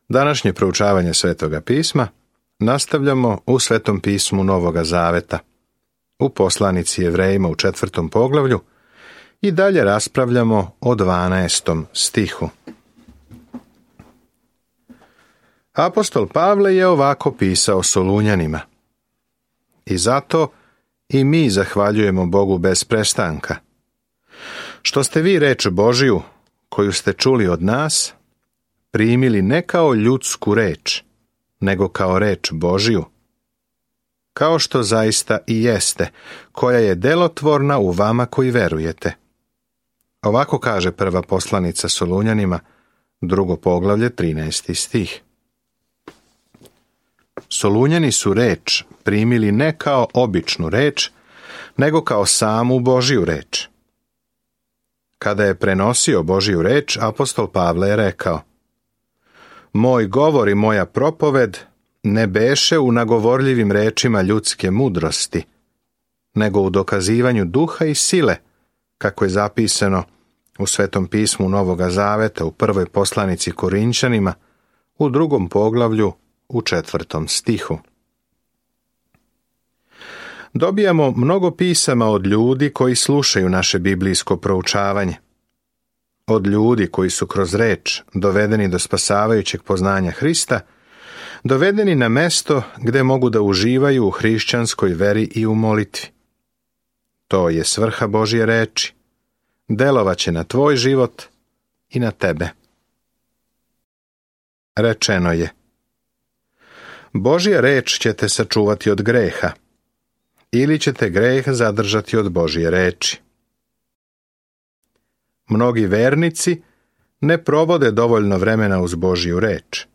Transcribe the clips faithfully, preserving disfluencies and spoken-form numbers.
Današnje proučavanje Svetoga pisma nastavljamo u Svetom pismu Novoga Zaveta, u poslanici Jevrejima u četvrtom poglavlju i dalje raspravljamo o dvanaestom stihu. Apostol Pavle je ovako pisao Solunjanima: I zato i mi zahvaljujemo Bogu bez prestanka, što ste vi reč Božiju, koju ste čuli od nas, primili ne kao ljudsku reč, nego kao reč Božiju, kao što zaista i jeste, koja je delotvorna u vama koji verujete. Ovako kaže prva poslanica Solunjanima, drugo poglavlje, trinaesti stih. Solunjani su reč primili ne kao običnu reč, nego kao samu Božiju reč. Kada je prenosio Božiju reč, apostol Pavle je rekao: Moj govor i moja propoved ne beše u nagovorljivim rečima ljudske mudrosti, nego u dokazivanju duha i sile, kako je zapisano u Svetom pismu Novoga Zaveta u prvoj poslanici Korinćanima, u drugom poglavlju, u četvrtom stihu. Dobijamo mnogo pisama od ljudi koji slušaju naše biblijsko proučavanje. Od ljudi koji su kroz reč dovedeni do spasavajućeg poznanja Hrista, dovedeni na mesto gde mogu da uživaju u hrišćanskoj veri i u molitvi. To je svrha Božje reči. Delovaće na tvoj život i na tebe. Rečeno je: Božja reč će te sačuvati od greha, ili ćete greh zadržati od Božje reči. Mnogi vernici ne provode dovoljno vremena uz Božju reč.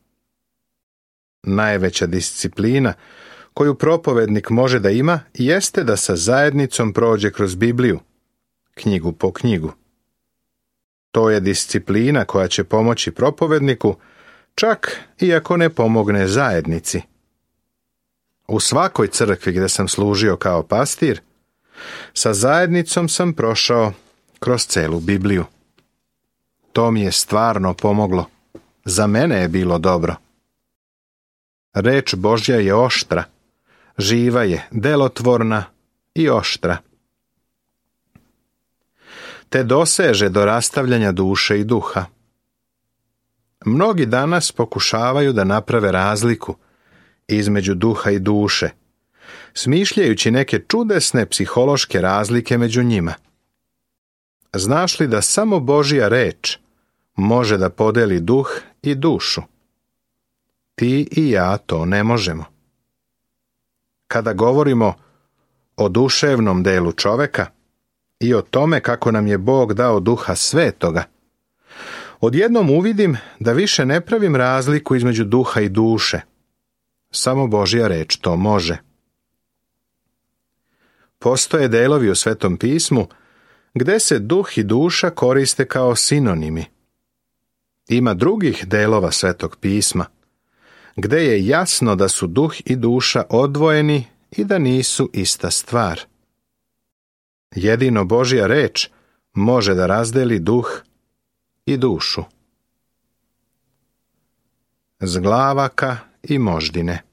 Najveća disciplina koju propovednik može da ima jeste da sa zajednicom prođe kroz Bibliju, knjigu po knjigu. To je disciplina koja će pomoći propovedniku, čak i ako ne pomogne zajednici. U svakoj crkvi gdje sam služio kao pastir, sa zajednicom sam prošao kroz celu Bibliju. To mi je stvarno pomoglo. Za mene je bilo dobro. Reč Božja je oštra, živa je, delotvorna i oštra. Te doseže do rastavljanja duše i duha. Mnogi danas pokušavaju da naprave razliku između duha i duše, smišljajući neke čudesne psihološke razlike među njima. Znaš li da samo Božja reč može da podeli duh i dušu? Ti i ja to ne možemo. Kada govorimo o duševnom delu čoveka i o tome kako nam je Bog dao Duha Svetoga, odjednom uvidim da više ne pravim razliku između duha i duše. Samo Božja reč to može. Postoje delovi u Svetom pismu gde se duh i duša koriste kao sinonimi. Ima drugih delova Svetog pisma gde je jasno da su duh i duša odvojeni i da nisu ista stvar. Jedino Božja reč može da razdeli duh i dušu. Zglavaka i moždine.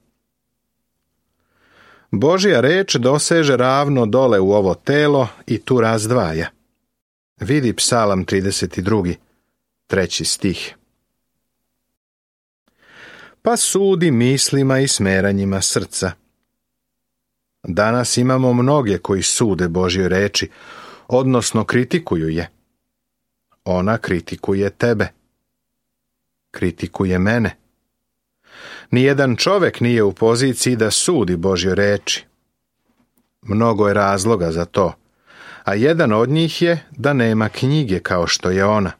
Božja reč doseže ravno dole u ovo telo i tu razdvaja. Vidi Psalam trideset drugi, treći stih. Pa sudi mislima i smeranjima srca. Danas imamo mnoge koji sude Božjoj reči, odnosno kritikuju je. Ona kritikuje tebe. Kritikuje mene. Nijedan čovek nije u poziciji da sudi Božjoj reči. Mnogo je razloga za to, a jedan od njih je da nema knjige kao što je ona.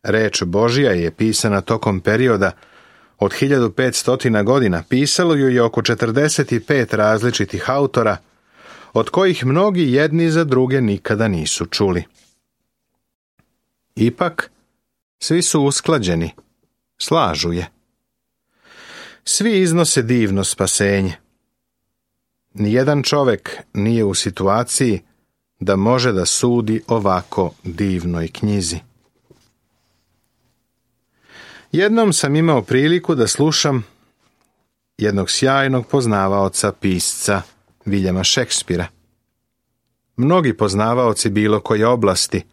Reč Božja je pisana tokom perioda od hiljadu petsto godina, pisalo ju je oko četrdeset pet različitih autora, od kojih mnogi jedni za druge nikada nisu čuli. Ipak, svi su usklađeni, slažu je. Svi iznose divno spasenje. Nijedan čovek nije u situaciji da može da sudi ovako divnoj knjizi. Jednom sam imao priliku da slušam jednog sjajnog poznavaoca pisca Viljama Šekspira. Mnogi poznavaoci bilo koje oblasti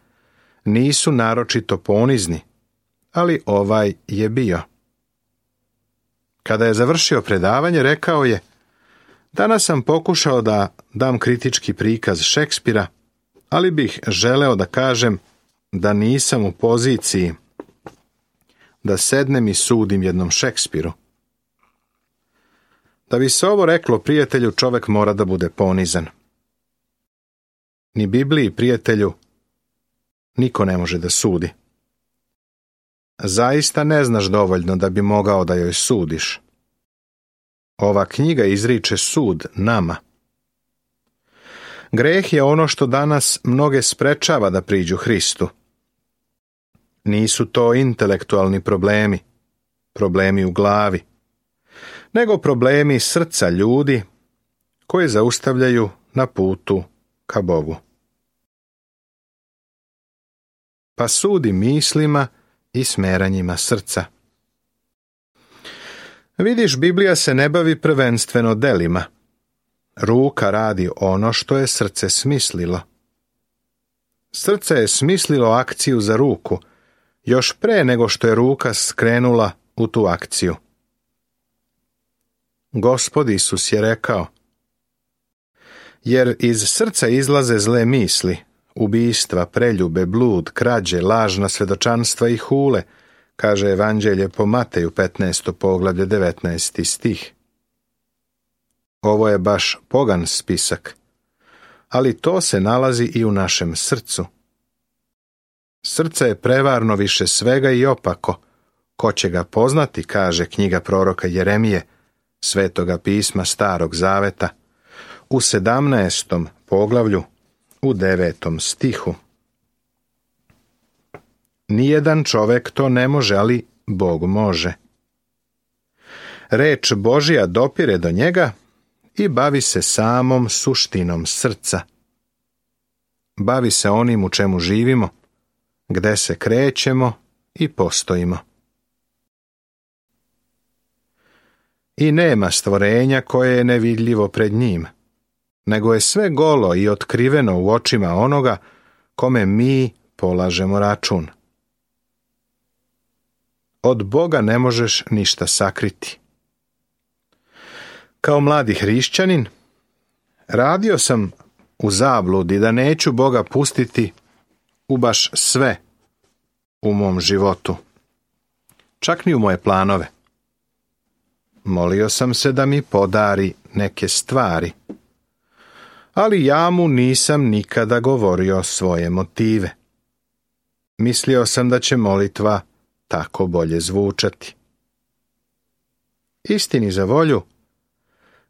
nisu naročito ponizni, ali ovaj je bio. Kada je završio predavanje, rekao je: danas sam pokušao da dam kritički prikaz Šekspira, ali bih želeo da kažem da nisam u poziciji da sednem i sudim jednom Šekspiru. Da bi se ovo reklo, prijatelju, čovek mora da bude ponizan. Ni Bibliji, prijatelju, niko ne može da sudi. Zaista ne znaš dovoljno da bi mogao da joj sudiš. Ova knjiga izriče sud nama. Greh je ono što danas mnoge sprečava da priđu Hristu. Nisu to intelektualni problemi, problemi u glavi, nego problemi srca ljudi koje zaustavljaju na putu ka Bogu. Pa sudi mislima i smeranjima srca. Vidiš, Biblija se ne bavi prvenstveno delima. Ruka radi ono što je srce smislilo. Srce je smislilo akciju za ruku, još pre nego što je ruka skrenula u tu akciju. Gospod Isus je rekao: jer iz srca izlaze zle misli, ubistva, preljube, blud, krađe, lažna svedočanstva i hule, kaže Evanđelje po Mateju petnaesto poglavlje devetnaesti stih. Ovo je baš pogan spisak, ali to se nalazi i u našem srcu. Srce je prevarno više svega i opako. Ko će ga poznati, kaže knjiga proroka Jeremije, Svetoga pisma Starog Zaveta, u sedamnaestom poglavlju, u devetom stihu. Nijedan čovek to ne može, ali Bog može. Reč Božja dopire do njega i bavi se samom suštinom srca. Bavi se onim u čemu živimo, gde se krećemo i postojimo. I nema stvorenja koje je nevidljivo pred njim, nego je sve golo i otkriveno u očima onoga kome mi polažemo račun. Od Boga ne možeš ništa sakriti. Kao mladi hrišćanin, radio sam u zabludi da neću Boga pustiti u baš sve u mom životu, čak ni u moje planove. Molio sam se da mi podari neke stvari, ali ja mu nisam nikada govorio svoje motive. Mislio sam da će molitva tako bolje zvučati. Istini za volju,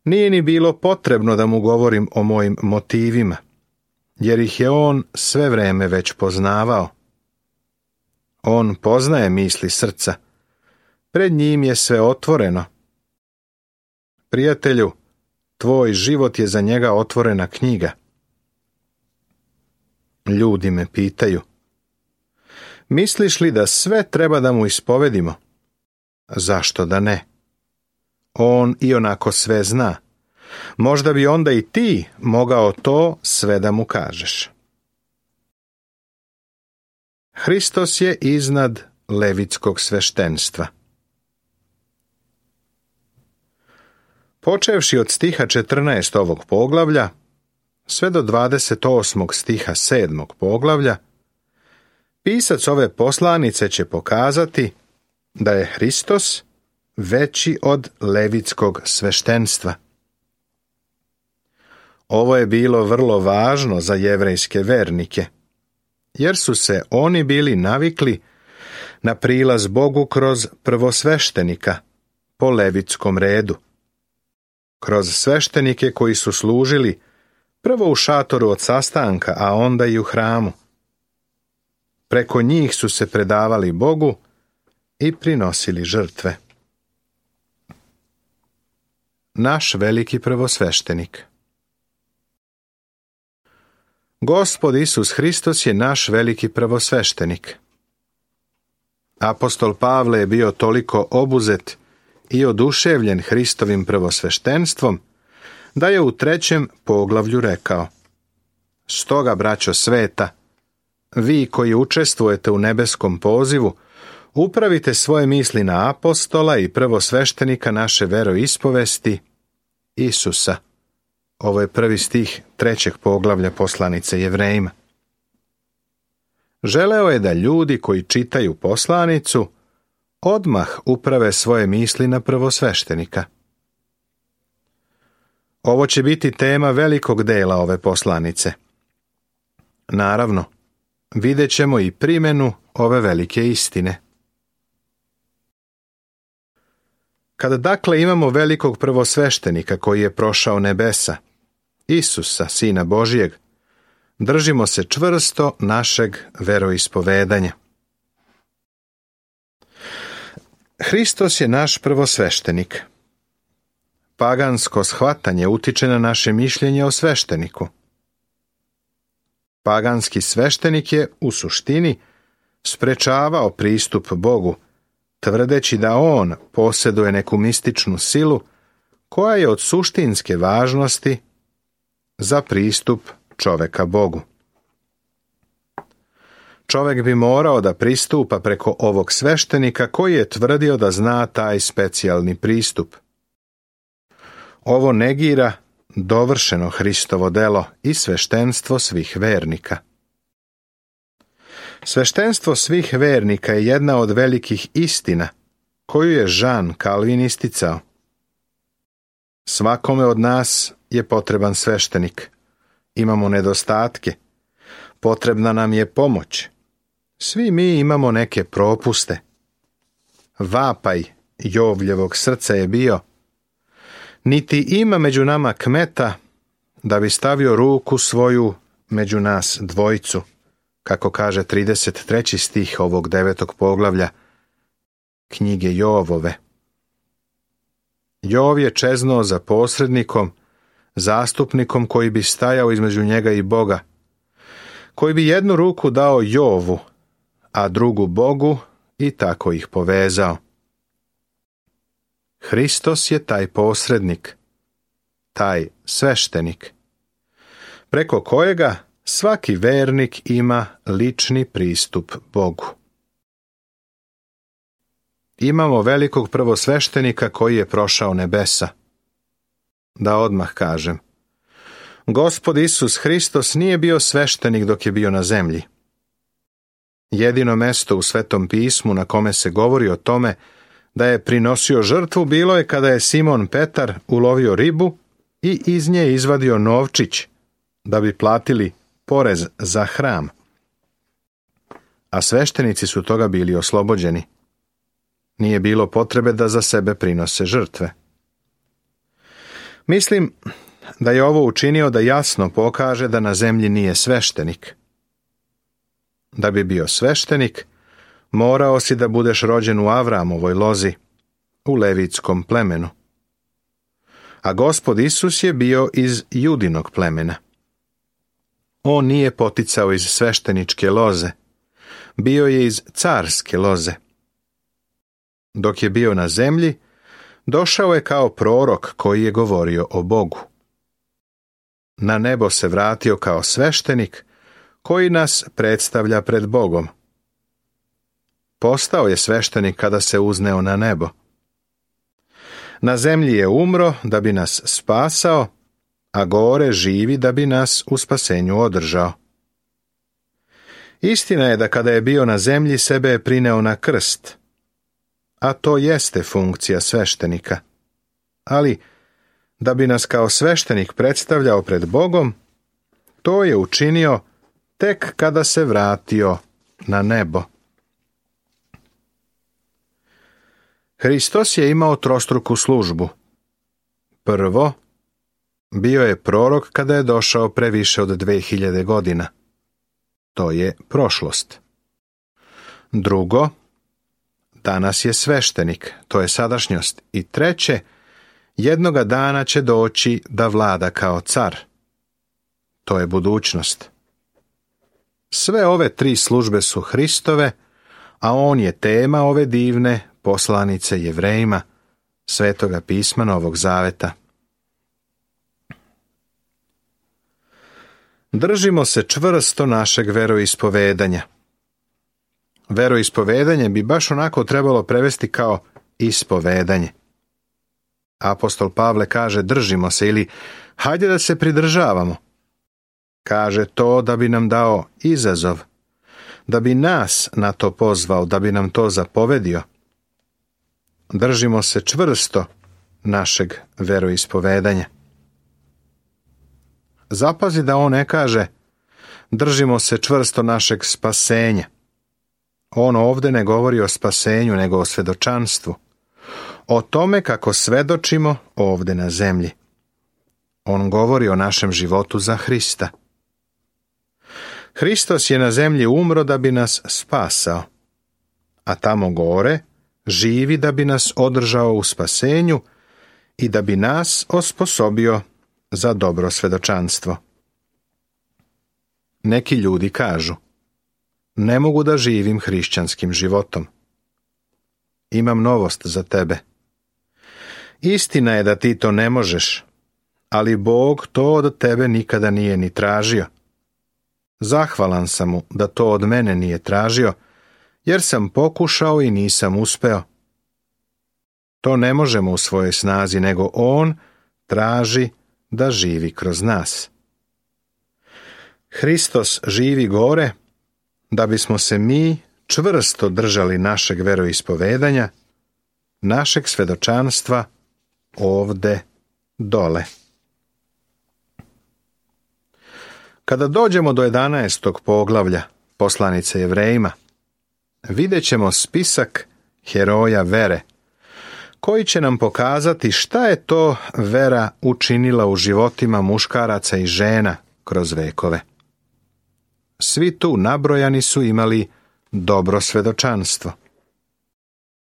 nije ni bilo potrebno da mu govorim o mojim motivima, jer ih je on sve vreme već poznavao. On poznaje misli srca, pred njim je sve otvoreno. Prijatelju, tvoj život je za njega otvorena knjiga. Ljudi me pitaju: misliš li da sve treba da mu ispovedimo? Zašto da ne? On i onako sve zna. Možda bi onda i ti mogao to sve da mu kažeš. Hristos je iznad levitskog sveštenstva. Počevši od stiha četrnaest ovog poglavlja, sve do dvadeset osmog stiha sedmog poglavlja, pisac ove poslanice će pokazati da je Hristos veći od levitskog sveštenstva. Ovo je bilo vrlo važno za jevrejske vernike, jer su se oni bili navikli na prilaz Bogu kroz prvosveštenika po levitskom redu, kroz sveštenike koji su služili prvo u šatoru od sastanka, a onda i u hramu. Preko njih su se predavali Bogu i prinosili žrtve. Naš veliki prvosveštenik. Gospod Isus Hristos je naš veliki prvosveštenik. Apostol Pavle je bio toliko obuzet i oduševljen Hristovim prvosveštenstvom, da je u trećem poglavlju rekao: Stoga, braćo sveta, vi koji učestvujete u nebeskom pozivu, upravite svoje misli na apostola i prvosveštenika naše veroispovesti, Isusa. Ovo je prvi stih trećeg poglavlja poslanice Jevrejima. Želeo je da ljudi koji čitaju poslanicu odmah uprave svoje misli na prvosveštenika. Ovo će biti tema velikog dela ove poslanice. Naravno, vidjet ćemo i primjenu ove velike istine. Kada dakle imamo velikog prvosveštenika koji je prošao nebesa, Isusa, Sina Božijeg, držimo se čvrsto našeg veroispovedanja. Hristos je naš prvosveštenik. Pagansko shvatanje utiče na naše mišljenje o svešteniku. Paganski sveštenik je, u suštini, sprečavao pristup Bogu, tvrdeći da on posjeduje neku mističnu silu koja je od suštinske važnosti za pristup čoveka Bogu. Čovek bi morao da pristupa preko ovog sveštenika koji je tvrdio da zna taj specijalni pristup. Ovo negira dovršeno Hristovo delo i sveštenstvo svih vernika. Sveštenstvo svih vernika je jedna od velikih istina koju je Jean Calvin isticao. Svakome od nas je potreban sveštenik. Imamo nedostatke. Potrebna nam je pomoć. Svi mi imamo neke propuste. Vapaj Jovljevog srca je bio: niti ima među nama kmeta da bi stavio ruku svoju među nas dvojicu, kako kaže trideset treći stih ovog devetog poglavlja knjige Jovove. Jov je čeznuo za posrednikom, zastupnikom koji bi stajao između njega i Boga, koji bi jednu ruku dao Jovu, a drugu Bogu i tako ih povezao. Hristos je taj posrednik, taj sveštenik, preko kojega svaki vernik ima lični pristup Bogu. Imamo velikog prvosveštenika koji je prošao nebesa. Da odmah kažem, Gospod Isus Hristos nije bio sveštenik dok je bio na zemlji. Jedino mesto u Svetom pismu na kome se govori o tome da je prinosio žrtvu bilo je kada je Simon Petar ulovio ribu i iz nje izvadio novčić da bi platili porez za hram. A sveštenici su toga bili oslobođeni. Nije bilo potrebe da za sebe prinose žrtve. Mislim da je ovo učinio da jasno pokaže da na zemlji nije sveštenik. Da bi bio sveštenik, morao si da budeš rođen u Avramovoj lozi, u levitskom plemenu. A Gospod Isus je bio iz Judinog plemena. On nije poticao iz svešteničke loze, bio je iz carske loze. Dok je bio na zemlji, došao je kao prorok koji je govorio o Bogu. Na nebo se vratio kao sveštenik koji nas predstavlja pred Bogom. Postao je sveštenik kada se uzneo na nebo. Na zemlji je umro da bi nas spasao, a gore živi da bi nas u spasenju održao. Istina je da kada je bio na zemlji sebe je prineo na krst, a to jeste funkcija sveštenika. Ali, da bi nas kao sveštenik predstavljao pred Bogom, to je učinio tek kada se vratio na nebo. Hristos je imao trostruku službu. Prvo, bio je prorok kada je došao pre više od dve hiljade godina. To je prošlost. Drugo, danas je sveštenik, to je sadašnjost. I treće, jednoga dana će doći da vlada kao car. To je budućnost. Sve ove tri službe su Hristove, a on je tema ove divne poslanice Jevrejima, Svetoga pisma Novog Zaveta. Držimo se čvrsto našeg veroispovedanja. Veroispovedanje bi baš onako trebalo prevesti kao ispovedanje. Apostol Pavle kaže držimo se ili hajde da se pridržavamo. Kaže to da bi nam dao izazov, da bi nas na to pozvao, da bi nam to zapovedio. Držimo se čvrsto našeg veroispovedanja. Zapazi da on ne kaže držimo se čvrsto našeg spasenja. On ovdje ne govori o spasenju, nego o svedočanstvu. O tome kako svedočimo ovdje na zemlji. On govori o našem životu za Hrista. Hristos je na zemlji umro da bi nas spasao, a tamo gore živi da bi nas održao u spasenju i da bi nas osposobio za dobro svedočanstvo. Neki ljudi kažu, ne mogu da živim hrišćanskim životom. Imam novost za tebe. Istina je da ti to ne možeš, ali Bog to od tebe nikada nije ni tražio. Zahvalan sam mu da to od mene nije tražio, jer sam pokušao i nisam uspeo. To ne možemo u svojoj snazi, nego on traži da živi kroz nas. Hristos živi gore, da bismo se mi čvrsto držali našeg veroispovedanja, našeg svedočanstva ovde dole. Kada dođemo do jedanaestog poglavlja poslanice Jevrejima, vidjet ćemo spisak heroja vere, koji će nam pokazati šta je to vera učinila u životima muškaraca i žena kroz vekove. Svi tu nabrojani su imali dobro svedočanstvo.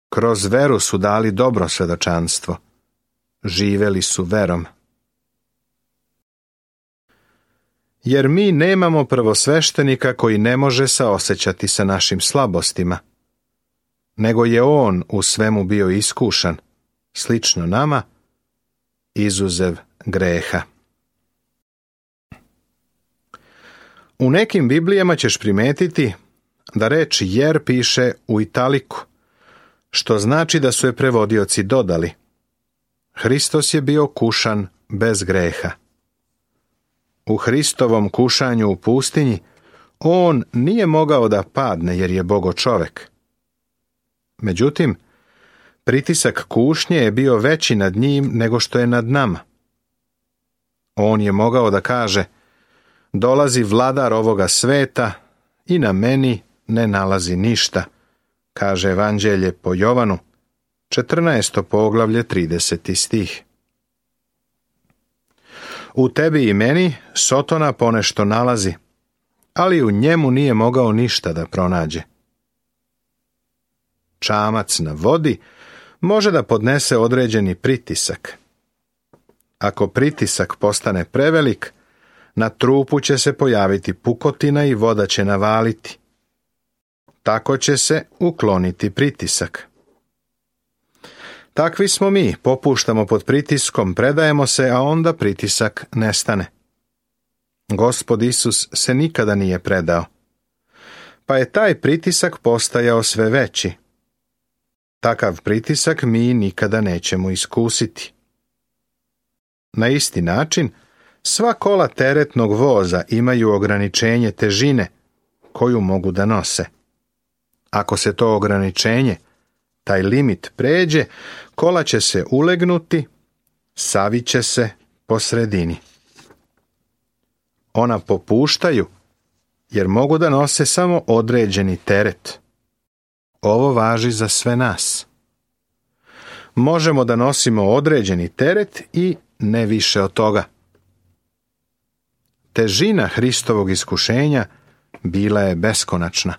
Kroz veru su dali dobro svedočanstvo. Živeli su verom. Jer mi nemamo prvosveštenika koji ne može saosećati sa našim slabostima, nego je on u svemu bio iskušan, slično nama, izuzev greha. U nekim Biblijama ćeš primetiti da reč jer piše u italiku, što znači da su je prevodioci dodali. Hristos je bio kušan bez greha. U Hristovom kušanju u pustinji on nije mogao da padne jer je Bogo čovek. Međutim, pritisak kušnje je bio veći nad njim nego što je nad nama. On je mogao da kaže, dolazi vladar ovoga sveta i na meni ne nalazi ništa, kaže Evanđelje po Jovanu, četrnaesto poglavlje, trideseti stih. U tebi i meni Sotona ponešto nalazi, ali u njemu nije mogao ništa da pronađe. Čamac na vodi može da podnese određeni pritisak. Ako pritisak postane prevelik, na trupu će se pojaviti pukotina i voda će navaliti. Tako će se ukloniti pritisak. Takvi smo mi, popuštamo pod pritiskom, predajemo se, a onda pritisak nestane. Gospod Isus se nikada nije predao, pa je taj pritisak postajao sve veći. Takav pritisak mi nikada nećemo iskusiti. Na isti način, sva kola teretnog voza imaju ograničenje težine koju mogu da nose. Ako se to ograničenje, taj limit pređe, kola će se ulegnuti, saviće se po sredini. Ona popuštaju, jer mogu da nose samo određeni teret. Ovo važi za sve nas. Možemo da nosimo određeni teret i ne više od toga. Težina Hristovog iskušenja bila je beskonačna.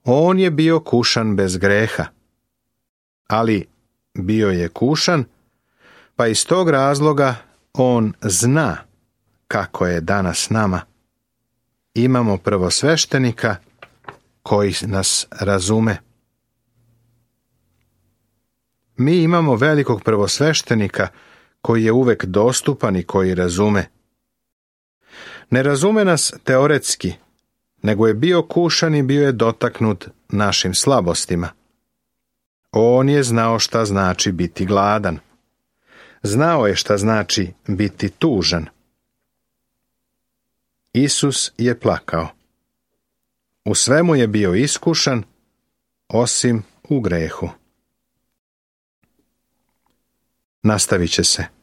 On je bio kušan bez greha. Ali bio je kušan, pa iz tog razloga on zna kako je danas nama. Imamo prvosveštenika koji nas razume. mi imamo velikog prvosveštenika koji je uvek dostupan i koji razume. Ne razume nas teoretski, nego je bio kušan i bio je dotaknut našim slabostima. On je znao šta znači biti gladan. Znao je šta znači biti tužan. Isus je plakao. U svemu je bio iskušan, osim u grehu. Nastavit će se.